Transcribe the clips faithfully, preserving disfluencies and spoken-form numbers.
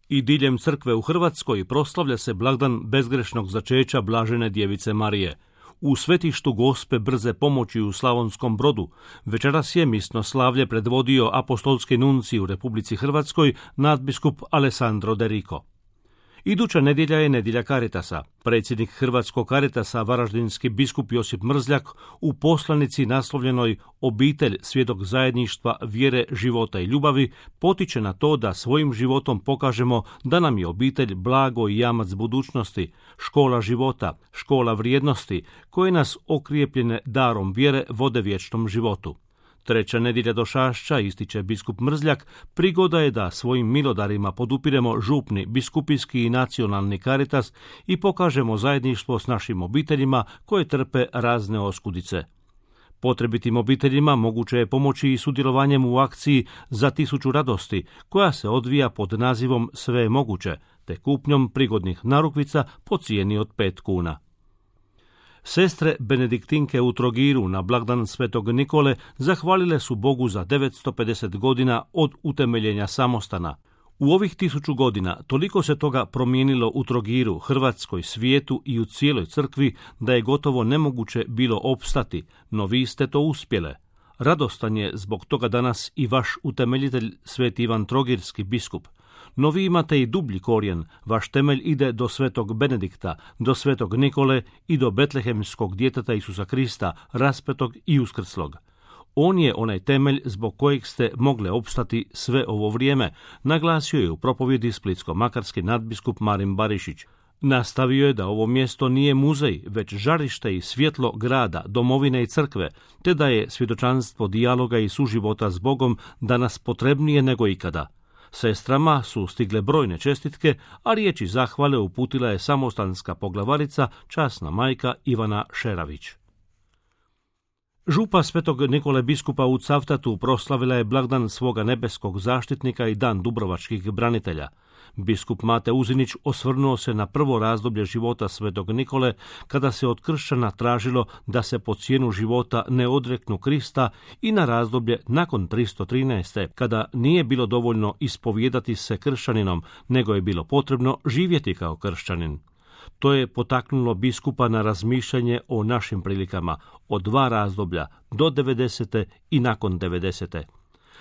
I diljem crkve u Hrvatskoj proslavlja se blagdan bezgrešnog začeća Blažene djevice Marije. U svetištu Gospe brze pomoći u Slavonskom Brodu večeras je misno slavlje predvodio apostolski nuncij u Republici Hrvatskoj nadbiskup Alessandro De Rico. Iduća nedjelja je nedjelja Caritasa. Predsjednik Hrvatskog Caritasa, varaždinski biskup Josip Mrzljak, u poslanici naslovljenoj Obitelj, svjedok zajedništva, vjere, života i ljubavi, potiče na to da svojim životom pokažemo da nam je obitelj blago i jamac budućnosti, škola života, škola vrijednosti, koje nas okrijepljene darom vjere vode vječnom životu. Treća nedjelja Došašća, ističe biskup Mrzljak, prigoda je da svojim milodarima podupiremo župni, biskupijski i nacionalni Caritas i pokažemo zajedništvo s našim obiteljima koje trpe razne oskudice. Potrebitim obiteljima moguće je pomoći i sudjelovanjem u akciji Za tisuću radosti, koja se odvija pod nazivom Sve je moguće, te kupnjom prigodnih narukvica po cijeni od pet kuna. Sestre benediktinke u Trogiru na blagdan Svetog Nikole zahvalile su Bogu za devetsto pedeset godina od utemeljenja samostana. U ovih tisuću godina toliko se toga promijenilo u Trogiru, Hrvatskoj, svijetu i u cijeloj crkvi da je gotovo nemoguće bilo opstati, no vi ste to uspjele. Radostan je zbog toga danas i vaš utemeljitelj Sveti Ivan Trogirski biskup. No vi imate i dublji korijen, vaš temelj ide do Svetog Benedikta, do Svetog Nikole i do betlehemskog djeteta Isusa Krista, raspetog i uskrslog. On je onaj temelj zbog kojeg ste mogle opstati sve ovo vrijeme, naglasio je u propovjedi splitsko-makarski nadbiskup Marin Barišić. Nastavio je da ovo mjesto nije muzej, već žarište i svjetlo grada, domovine i crkve, te da je svjedočanstvo dijaloga i suživota s Bogom danas potrebnije nego ikada. Sestrama su stigle brojne čestitke, a riječi zahvale uputila je samostanska poglavarica, časna majka Ivana Šeravić. Župa Svetog Nikole biskupa u Cavtatu proslavila je blagdan svoga nebeskog zaštitnika i dan dubrovačkih branitelja. Biskup Mate Uzinić osvrnuo se na prvo razdoblje života Svetog Nikole, kada se od kršćana tražilo da se po cijenu života ne odreknu Krista, i na razdoblje nakon tristo trinaeste. kada nije bilo dovoljno ispovijedati se kršćaninom, nego je bilo potrebno živjeti kao kršćanin. To je potaknulo biskupa na razmišljanje o našim prilikama, od dva razdoblja, do devedesete i nakon devedesete.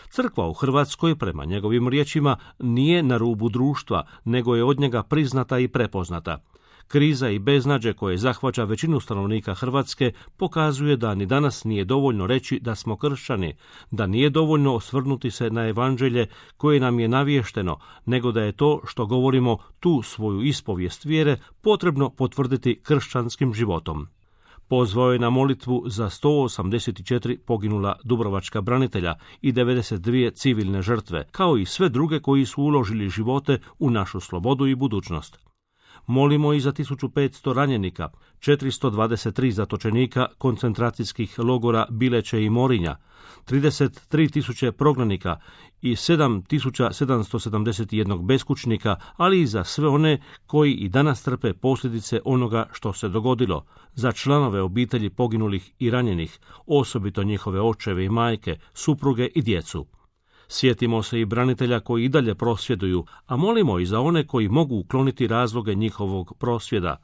Crkva u Hrvatskoj, prema njegovim riječima, nije na rubu društva, nego je od njega priznata i prepoznata. Kriza i beznađe koje zahvaća većinu stanovnika Hrvatske pokazuje da ni danas nije dovoljno reći da smo kršćani, da nije dovoljno osvrnuti se na evanđelje koje nam je naviješteno, nego da je to što govorimo tu svoju ispovijest vjere potrebno potvrditi kršćanskim životom. Pozvao je na molitvu za sto osamdeset četiri poginula dubrovačka branitelja i devedeset dvije civilne žrtve, kao i sve druge koji su uložili živote u našu slobodu i budućnost. Molimo i za tisuću petsto ranjenika, četiristo dvadeset tri zatočenika koncentracijskih logora Bileće i Morinja, trideset tri tisuće prognanika i sedam tisuća sedamsto sedamdeset jedan beskućnika, ali i za sve one koji i danas trpe posljedice onoga što se dogodilo, za članove obitelji poginulih i ranjenih, osobito njihove očeve i majke, supruge i djecu. Sjetimo se i branitelja koji i dalje prosvjeduju, a molimo i za one koji mogu ukloniti razloge njihovog prosvjeda.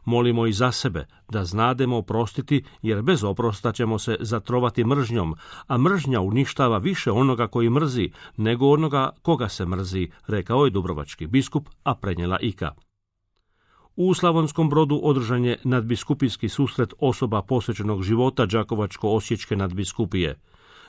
Molimo i za sebe, da znademo oprostiti, jer bez oprosta ćemo se zatrovati mržnjom, a mržnja uništava više onoga koji mrzi, nego onoga koga se mrzi, rekao je dubrovački biskup, a prenijela Ika. U Slavonskom Brodu održan je nadbiskupijski susret osoba posvećenog života Đakovačko-osječke nadbiskupije.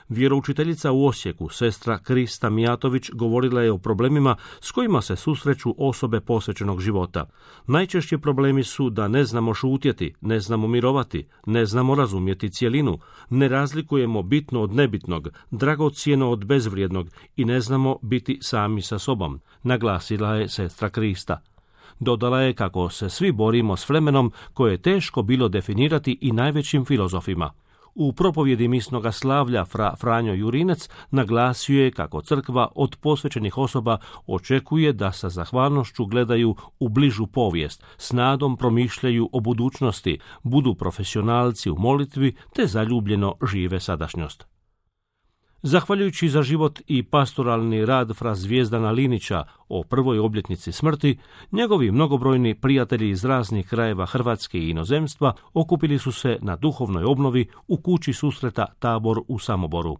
Vjeroučiteljica u Osijeku, sestra Krista Mijatović, govorila je o problemima s kojima se susreću osobe posvećenog života. Najčešći problemi su da ne znamo šutjeti, ne znamo mirovati, ne znamo razumjeti cjelinu, ne razlikujemo bitno od nebitnog, dragocjeno od bezvrijednog i ne znamo biti sami sa sobom, naglasila je sestra Krista. Dodala je kako se svi borimo s vremenom koje je teško bilo definirati i najvećim filozofima. U propovjedi misnoga slavlja fra Franjo Jurinec naglasio je kako crkva od posvećenih osoba očekuje da sa zahvalnošću gledaju u bližu povijest, s nadom promišljaju o budućnosti, budu profesionalci u molitvi te zaljubljeno žive sadašnjost. Zahvaljujući za život i pastoralni rad fra Zvijezdana Linića o prvoj obljetnici smrti, njegovi mnogobrojni prijatelji iz raznih krajeva Hrvatske i inozemstva okupili su se na duhovnoj obnovi u kući susreta Tabor u Samoboru.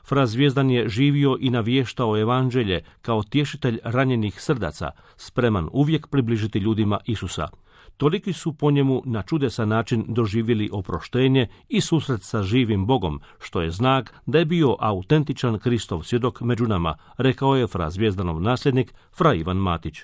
Fra Zvijezdan je živio i navještao evanđelje kao tješitelj ranjenih srdaca, spreman uvijek približiti ljudima Isusa. Toliki su po njemu na čudesan način doživjeli oproštenje i susret sa živim Bogom, što je znak da je bio autentičan Kristov svjedok među nama, rekao je fra Zvijezdanov nasljednik fra Ivan Matić.